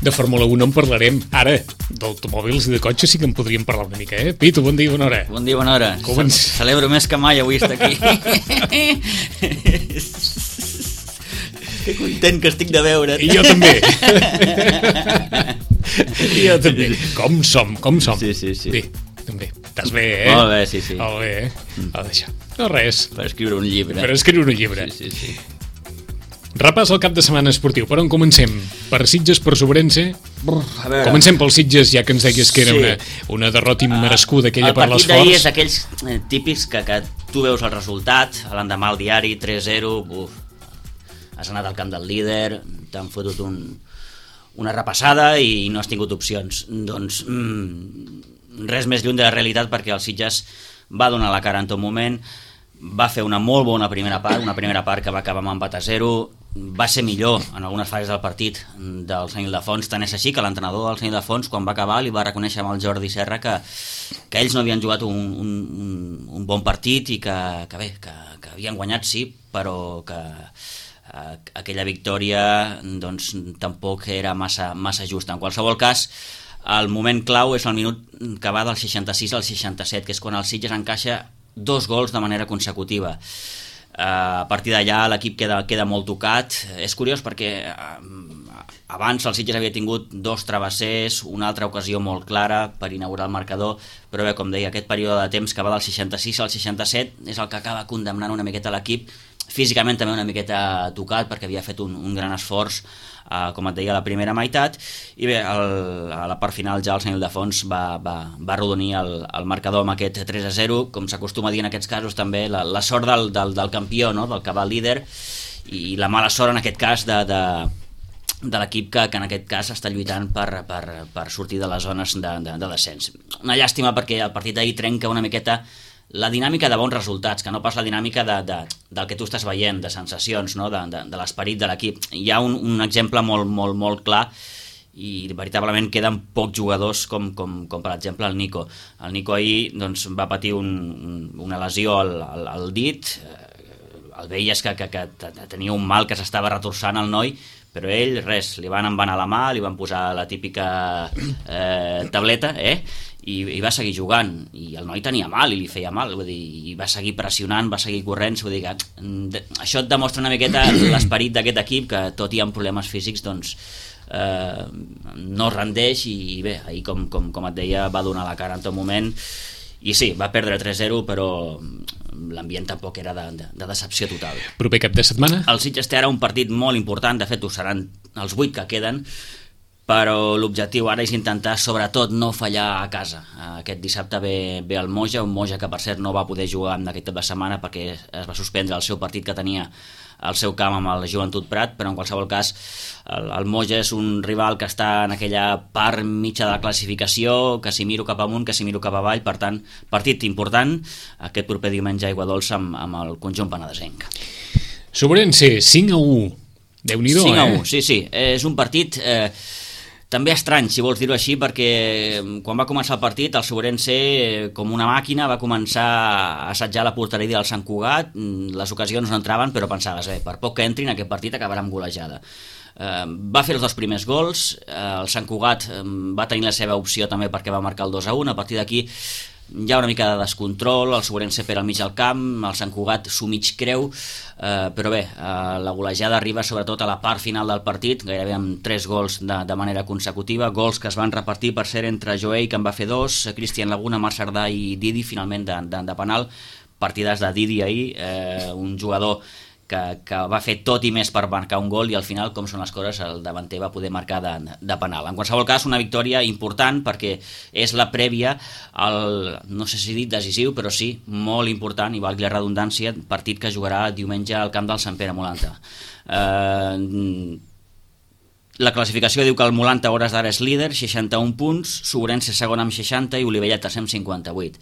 De Fórmula 1 en parlarem. Ara, d'automòbils i de cotxes sí que en podríem parlar una mica, eh? Pitu, bon dia, bona hora. Bon dia, bona hora. Celebro més que mai avui estar aquí. Que content que estic de veure't. I jo també. I jo també. Com som. Sí. Bé, també. Estàs bé, eh? Molt bé, sí. Molt bé, eh? Va deixar. No res. Per escriure un llibre. Sí. Repàs el cap de setmana esportiu. Per on comencem? Per Sitges, per Sobrense? Comencem pel Sitges, ja que ens deies que era una derrota immerescuda aquella per l'esforç. El partit d'ahir és aquells típics que tu veus el resultat, l'endemà al diari, 3-0, has anat al camp del líder, t'han fotut una repassada i no has tingut opcions. Doncs res més lluny de la realitat, perquè el Sitges va donar la cara en tot moment, va fer una molt bona primera part que va acabar amb empat a 0, va ser millor en algunes fases del partit del Sant Ildefons, tant és així que l'entrenador del Sant Ildefons, quan va acabar, li va reconèixer amb el Jordi Serra que ells no havien jugat un bon partit i que havien guanyat, sí, però que aquella victòria doncs tampoc era massa justa. En qualsevol cas, el moment clau és el minut que va del 66 al 67, que és quan el Sitges encaixa 2 gols de manera consecutiva. A partir d'allà l'equip queda molt tocat. És curiós perquè abans el Sitges havia tingut 2 travessers, una altra ocasió molt clara per inaugurar el marcador, però bé, com deia, aquest període de temps que va del 66 al 67 és el que acaba condemnant una miqueta l'equip, físicament també una miqueta tocat perquè havia fet un gran esforç, com et deia, a la primera meitat, i bé, a la part final ja el Sant Ildefons va arrodonir el marcador amb aquest 3-0, com s'acostuma a dir en aquests casos també, la sort del campió, no? Del que va líder, i la mala sort en aquest cas de l'equip que en aquest cas està lluitant per sortir de les zones de descens. Una llàstima perquè el partit d'ahir trenca una miqueta la dinàmica de bons resultats, que no pas la dinàmica del que tu estàs veient, de sensacions, no? de l'esperit de l'equip. Hi ha un exemple molt clar, i veritablement queden pocs jugadors com per exemple el Nico. El Nico ahir doncs, va patir una lesió al dit, el veies que tenia un mal que s'estava retorçant al noi, però ell, res, li van embanar la mà, li van posar la típica tableta, i va seguir jugant, i el noi tenia mal i li feia mal, vull dir, i va seguir pressionant, va seguir corrent, vull dir que això et demostra una miqueta l'esperit d'aquest equip, que tot i amb problemes físics doncs no es rendeix, i bé, ahir com et deia va donar la cara en tot moment, i sí, va perdre 3-0, però l'ambient tampoc era de decepció total. Proper cap de setmana? El Sitges té ara un partit molt important, de fet ho seran els 8 que queden, però l'objectiu ara és intentar sobretot no fallar a casa. Aquest dissabte ve el Moja, un Moja que per cert no va poder jugar en aquest cap de setmana perquè es va suspendre el seu partit que tenia al seu camp amb el Joventut Prat, però en qualsevol cas el Moja és un rival que està en aquella part mitja de la classificació, que si miro cap amunt, que si miro cap avall, per tant, partit important aquest proper diumenge a Aiguadols amb el conjunt penedesenc. Sobrense, 5-1, Déu-n'hi-do, 5-1, sí, és un partit també estrany, si vols dir-ho així, perquè quan va començar el partit el Sobrense, com una màquina, va començar a assetjar la porteria del Sant Cugat, les ocasions no entraven, però pensaves, per poc que entrin aquest partit acabarà amb golejada. Va fer els 2 primers gols, el Sant Cugat va tenir la seva opció també perquè va marcar el 2-1, a partir d'aquí hi ha una mica de descontrol, el Sobrense per al mig del camp, el Sant Cugat s'ho mig creu, però bé, la golejada arriba sobretot a la part final del partit, gairebé amb 3 gols de manera consecutiva, gols que es van repartir per ser entre Joey, que en va fer 2, Cristian Laguna, Marc Cerdà i Didi, finalment de penal, partides de Didi ahir, un jugador que va fer tot i més per marcar un gol, i al final, com són les coses, el davanter va poder marcar de penal. En qualsevol cas, una victòria important perquè és la prèvia al, no sé si dit decisiu, però sí, molt important, i valgui la redundància, partit que jugarà diumenge al camp del Sant Pere Molanta. La classificació diu que el Molanta a hores d'ara és líder, 61 punts, Sobrense segon amb 60 i Olivella tercer amb 58.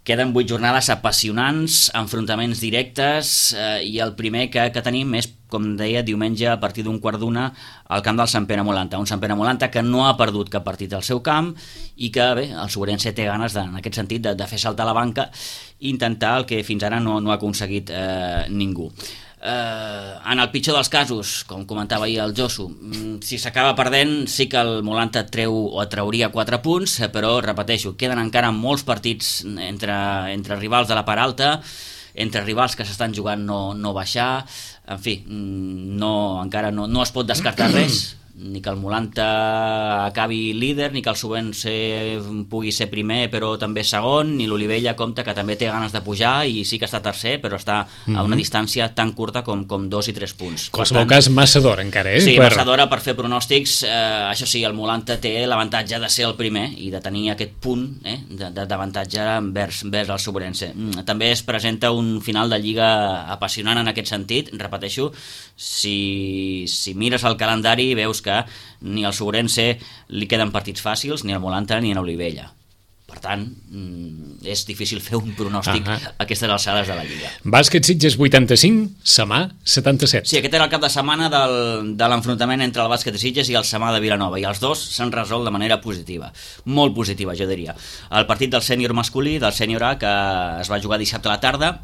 Queden 8 jornades apassionants, enfrontaments directes, i el primer que tenim és, com deia, diumenge a partir d'un 1:15 al camp del Sant Pere Molanta. Un Sant Pere Molanta que no ha perdut cap partit al seu camp i que, bé, el Sobrense té ganes, en aquest sentit, de fer saltar la banca i intentar el que fins ara no ha aconseguit ningú. En el pitjor dels casos, com comentava ahir el Josu, si s'acaba perdent sí que el Molanta treu o trauria 4 punts, però repeteixo, queden encara molts partits entre rivals de la part alta, entre rivals que s'estan jugant no baixar, en fi, encara no es pot descartar res, ni que el Molanta acabi líder, ni que el Subvense pugui ser primer però també segon, ni l'Olivella compta que també té ganes de pujar i sí que està tercer, però està a una distància tan curta com 2 i 3 punts. Qualsevol cas, massa d'hora encara, Sí, massa d'hora per fer pronòstics. Això sí, el Molanta té l'avantatge de ser el primer i de tenir aquest punt d'avantatge envers el Subvense. També es presenta un final de Lliga apassionant en aquest sentit, repeteixo, si mires el calendari veus que ni al Subrense li queden partits fàcils, ni al Molanta ni a l'Olivella. Per tant, és difícil fer un pronòstic a aquestes alçades de la Lliga. Bàsquet Sitges 85, Samà 77. Sí, aquest era el cap de setmana de l'enfrontament entre el Bàsquet de Sitges i el Samà de Vilanova, i els dos s'han resolt de manera positiva, molt positiva, jo diria. El partit del sènior masculí, del sènior A, que es va jugar dissabte a la tarda,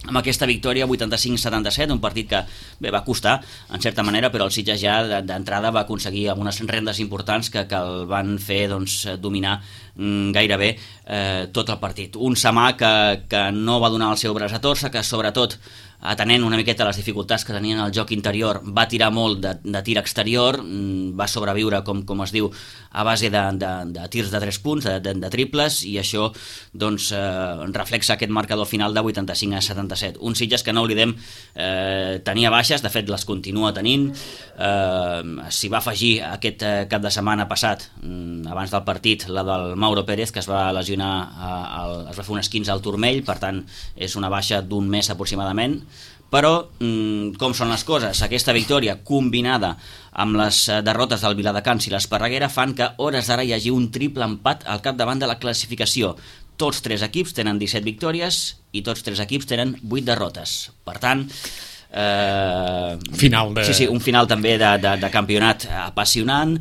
amb aquesta victòria 85-77, un partit que va costar en certa manera, però el Sitges ja d'entrada va aconseguir algunes rendes importants que el van fer dominar gairebé tot el partit. Un Samà que no va donar el seu braç a torça, que sobretot atenent una miqueta les dificultats que tenien al joc interior, va tirar molt de tir exterior, va sobreviure, com es diu, a base de tirs de 3 punts, de triples, i això doncs reflexa aquest marcador final de 85-77. Un Sitges que, no oblidem, tenia baixes, de fet les continua tenint, s'hi va afegir aquest cap de setmana passat, abans del partit, la del Mauro Pérez, que es va lesionar, es va fer un esquinç al turmell, per tant és una baixa d'un mes aproximadament. Però com són les coses? Aquesta victòria combinada amb les derrotes del Viladecans i l'Esparreguera fan que hores d'ara hi hagi un triple empat al capdavant de la classificació. Tots 3 equips tenen 17 victòries i tots 3 equips tenen 8 derrotes. Per tant, un final també de campionat apassionant,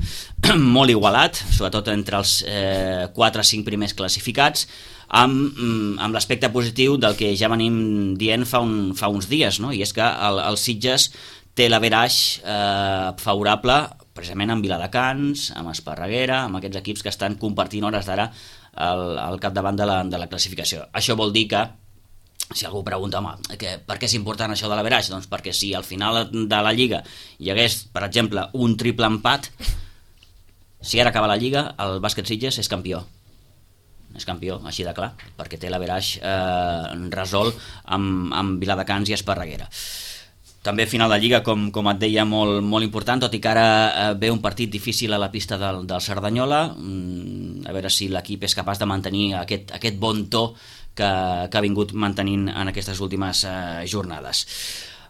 molt igualat, sobretot entre els 4-5 primers classificats, amb l'aspecte positiu del que ja venim dient fa uns dies, no? I és que el Sitges té l'average favorable precisament amb Viladecans, amb Esparreguera, amb aquests equips que estan compartint hores d'ara al capdavant de la classificació. Això vol dir que, si algú pregunta, per què és important això de l'average? Doncs perquè si al final de la Lliga hi hagués, per exemple, un triple empat, si ara acaba la Lliga, el Bàsquet Sitges és campió. És campió, així de clar, perquè té l'average resolt amb Viladecans i Esparreguera. També final de Lliga, com et deia, molt, molt important, tot i que ara ve un partit difícil a la pista del Cerdanyola, a veure si l'equip és capaç de mantenir aquest bon to que ha vingut mantenint en aquestes últimes jornades.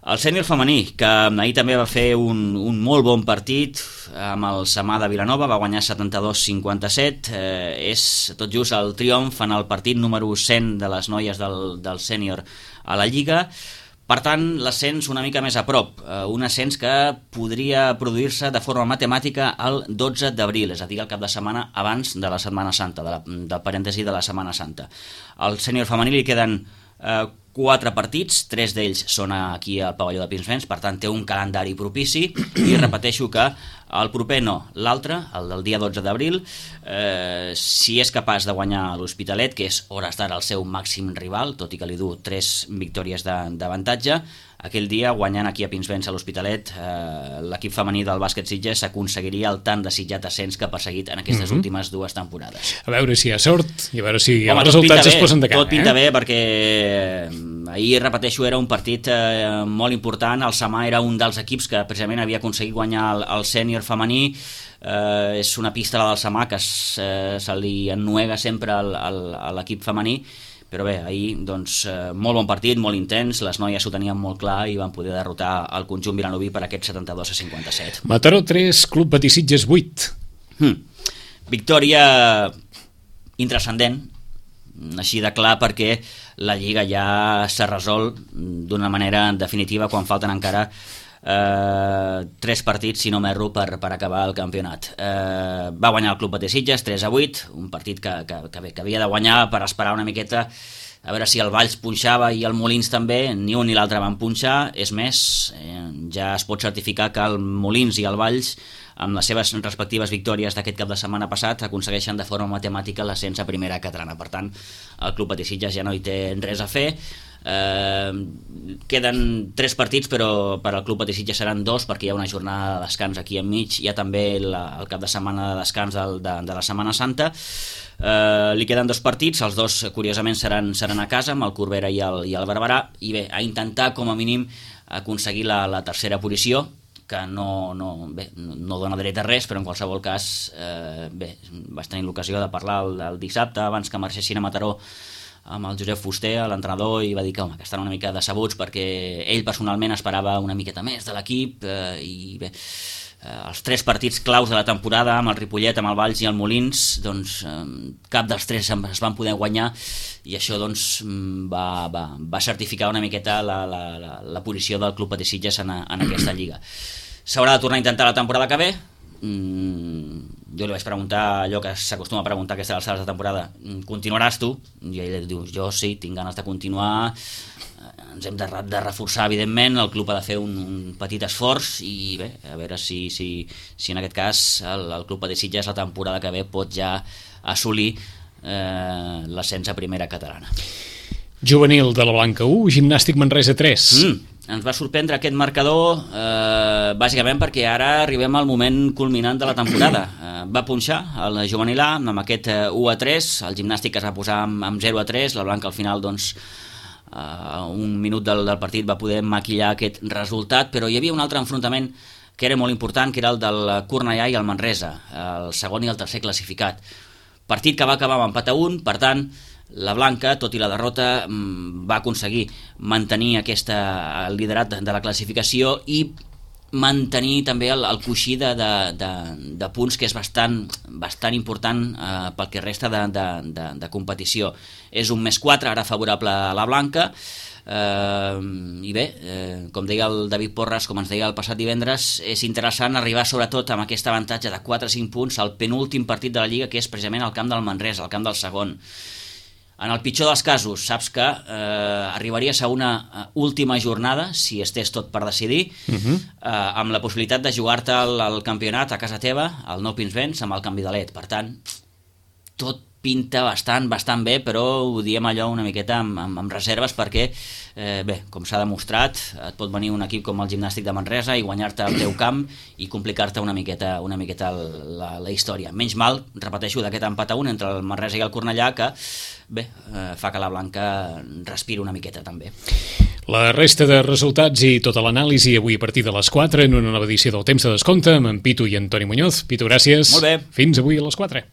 El sènior femení, que ahir també va fer un molt bon partit amb el Samà de Vilanova, va guanyar 72-57, és tot just el triomf en el partit número 100 de les noies del sènior a la Lliga. Per tant, l'ascens una mica més a prop, un ascens que podria produir-se de forma matemàtica el 12 d'abril, és a dir, el cap de setmana abans de la Setmana Santa, del parèntesi de la Setmana Santa. Al sènior femení li queden 4 partits, 3 d'ells són aquí al pavelló de Pinsbens, per tant té un calendari propici, i repeteixo que el proper no, l'altre, el del dia 12 d'abril, si és capaç de guanyar l'Hospitalet, que és hores d'ara el seu màxim rival, tot i que li du 3 victòries d'avantatge, aquell dia, guanyant aquí a Pinsbens a l'Hospitalet, l'equip femení del Bàsquet Sitges aconseguiria el tan desitjat ascens que ha perseguit en aquestes últimes 2 temporades. A veure si hi ha sort i a veure si els resultats es posen de cara. Tot pinta bé, perquè ahir, repeteixo, era un partit molt important. El Samà era un dels equips que precisament havia aconseguit guanyar el sènior femení. És una pista, la del Samà, que se li ennuega sempre a l'equip femení. Però bé, ahir, doncs, molt bon partit, molt intens, les noies ho tenien molt clar i van poder derrotar el conjunt vilanoví per aquest 72-57. Mataró 3, Club Patí Sitges 8. Victòria intranscendent, així de clar, perquè la Lliga ja s'ha resolt d'una manera definitiva quan falten encara 3 partits, si no m'erro, per acabar el campionat. Va guanyar el Club Patí Sitges 3-8, un partit que havia de guanyar per esperar una miqueta a veure si el Valls punxava i el Molins també, ni un ni l'altre van punxar. És més, ja es pot certificar que el Molins i el Valls, amb les seves respectives victòries d'aquest cap de setmana passat, aconsegueixen de forma matemàtica l'ascens a primera catalana. Per tant, el Club Patí Sitges ja no hi té res a fer. Queden 3 partits, però per al Club Patí Sitges seran 2, perquè hi ha una jornada de descans aquí enmig. Hi ha també el cap de setmana de descans de la Setmana Santa. Li queden 2 partits, els 2 curiosament seran a casa, amb el Corbera i el Barberà, i bé, a intentar com a mínim aconseguir la tercera posició, que no dona dret a res, però en qualsevol cas vaig tenir l'ocasió de parlar el dissabte abans que marxessin a Mataró amb el Josep Fuster, l'entrenador, i va dir que estan una mica decebuts perquè ell personalment esperava una miqueta més de l'equip, i bé, els 3 partits claus de la temporada, amb el Ripollet, amb el Valls i el Molins, doncs cap dels 3 es van poder guanyar, i això doncs va certificar una miqueta la posició del Club Patí Sitges en aquesta lliga. S'haurà de tornar a intentar la temporada que ve. Jo li vaig preguntar allò que s'acostuma a preguntar a aquestes alçades de temporada: continuaràs tu? I ell diu: jo sí, tinc ganes de continuar, ens hem de reforçar, evidentment, el club ha de fer un petit esforç, i bé, a veure si en aquest cas el Club Patí Sitges la temporada que ve pot ja assolir l'ascens a primera catalana. Juvenil de la Blanca 1, Gimnàstic Manresa 3. Ens va sorprendre aquest marcador, bàsicament perquè ara arribem al moment culminant de la temporada. Va punxar el Juvenil A amb aquest 1-3, el Gimnàstic es va posar amb 0-3, la Blanca al final doncs un minut del partit va poder maquillar aquest resultat, però hi havia un altre enfrontament que era molt important, que era el del Cornellà i el Manresa, el segon i el tercer classificat. Partit que va acabar amb empat a 1, per tant, la Blanca, tot i la derrota, va aconseguir mantenir el liderat de la classificació i mantenir també el coixí de punts, que és bastant important pel que resta de competició. És un +4 ara favorable a la Blanca, i bé, com deia el David Porras, com ens deia el passat divendres, és interessant arribar sobretot amb aquest avantatge de 4 o 5 punts al penúltim partit de la Lliga, que és precisament el camp del Manresa, el camp del segon. En el pitjor dels casos, saps que arribaries a una última jornada, si estés tot per decidir, amb la possibilitat de jugar-te el campionat a casa teva, al Nou Pinsbens, amb el canvi de led. Per tant, tot pinta bastant bé, però ho diem allò una miqueta amb reserves, perquè bé, com s'ha demostrat, et pot venir un equip com el Gimnàstic de Manresa i guanyar-te el teu camp i complicar-te una miqueta la història. Menys mal, repeteixo, d'aquest empat a 1 entre el Manresa i el Cornellà, que bé, fa que la Blanca respiri una miqueta també. La resta de resultats i tota l'anàlisi avui a partir de les 4 en una nova edició del Temps de Descompte amb en Pitu i en Toni Muñoz. Pitu, gràcies. Molt bé. Fins avui a les 4.